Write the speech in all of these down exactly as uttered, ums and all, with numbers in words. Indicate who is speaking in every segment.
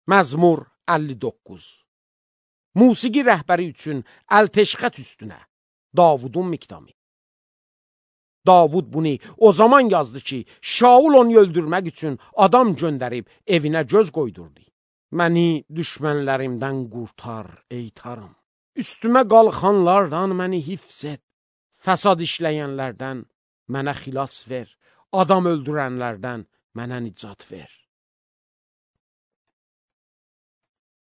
Speaker 1: Məzmur əlli doqquz. Musiqi rəhbəri üçün Əlteşxət üstünə Davudun miqdamı. Davud bunu o zaman yazdı ki, Şaul onu öldürmək üçün adam göndərib evinə göz qoydurdu. Məni düşmənlərimdən qurtar, ey Tanrım. Üstümə qalxanlardan məni hifz et. Fəsad işləyənlərdən mənə xilas ver. Adam öldürənlərdən mənə nicat ver.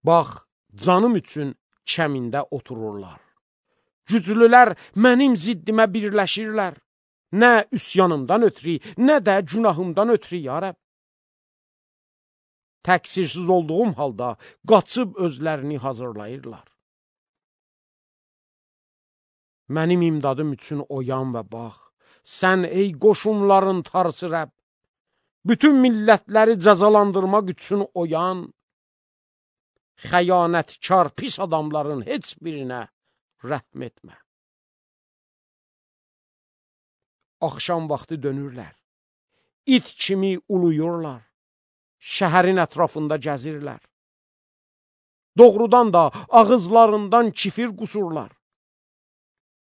Speaker 1: Bax, canım üçün kəmində otururlar. Güclülər mənim ziddimə birləşirlər. Nə üsyanımdan ötürü, nə də günahımdan ötürü, ya Rəbb. Təqsirsiz olduğum halda qaçıb özlərini hazırlayırlar. Mənim imdadım üçün oyan və bax, sən ey qoşunların tarısı Rəbb, bütün millətləri cəzalandırmaq üçün oyan, xəyanətkar pis adamların heç birinə rəhm etmə. Axşam vaxtı dönürlər, it kimi uluyurlar, şəhərin ətrafında gəzirlər. Doğrudan da ağızlarından kifir qusurlar,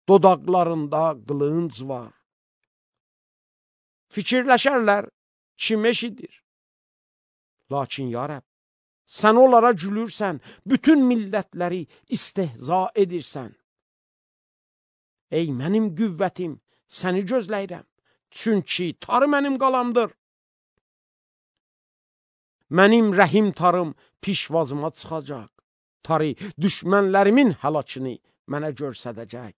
Speaker 1: dodaqlarında qılınc var. Fikirləşərlər, kim eşidir? Lakin ya Rəbb, sən onlara gülürsən, bütün millətləri istehza edirsən. Ey mənim qüvvətim, səni gözləyirəm, çünki tarı mənim qalamdır. Mənim rəhim tarım pişvazıma çıxacaq, tarı düşmənlərimin həlakını mənə görsədəcək.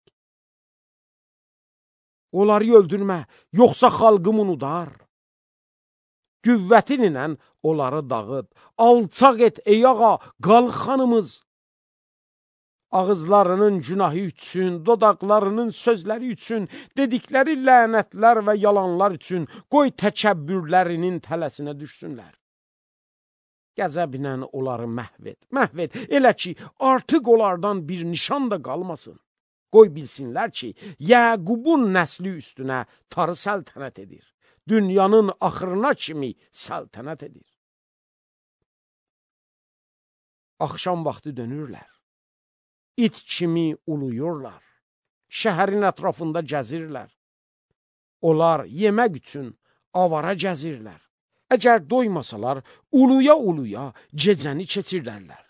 Speaker 1: Onları öldürmə, yoxsa xalqım unudar. Qüvvətinlə onları dağıt, alçaq et ey ağa, qalx xanımız. Ağızlarının günahı üçün, dodaqlarının sözləri üçün, dedikləri lənətlər və yalanlar üçün qoy təkəbbürlərinin tələsinə düşsünlər. Qəzəblə onları məhv et, məhv et, elə ki, artıq onlardan bir nişan da qalmasın. Qoy bilsinlər ki, Yəqubun nəsli üstünə tarı səltənət edir. Dünyanın axırına kimi səltənət edir. Axşam vaxtı dönürlər. İt kimi uluyurlar. Şəhərin ətrafında gəzirlər. Onlar yemək üçün avara gəzirlər. Əgər doymasalar, uluya-uluya gecəni keçirlərlər.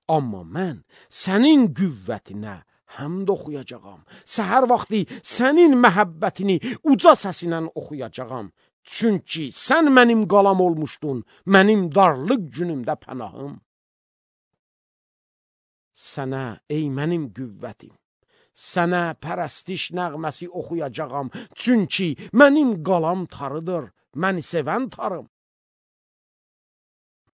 Speaker 1: Amma mən sənin qüvvətinə həmd oxuyacağam. Səhər vaxtı sənin məhəbbətini uca səsinə oxuyacağam. Çünki sən mənim qalam olmuşdun, mənim darlıq günümdə pənahım. Sənə, ey mənim qüvvətim, sənə pərəstiş nəğməsi oxuyacağam. Çünki mənim qalam tarıdır, məni sevən tarım.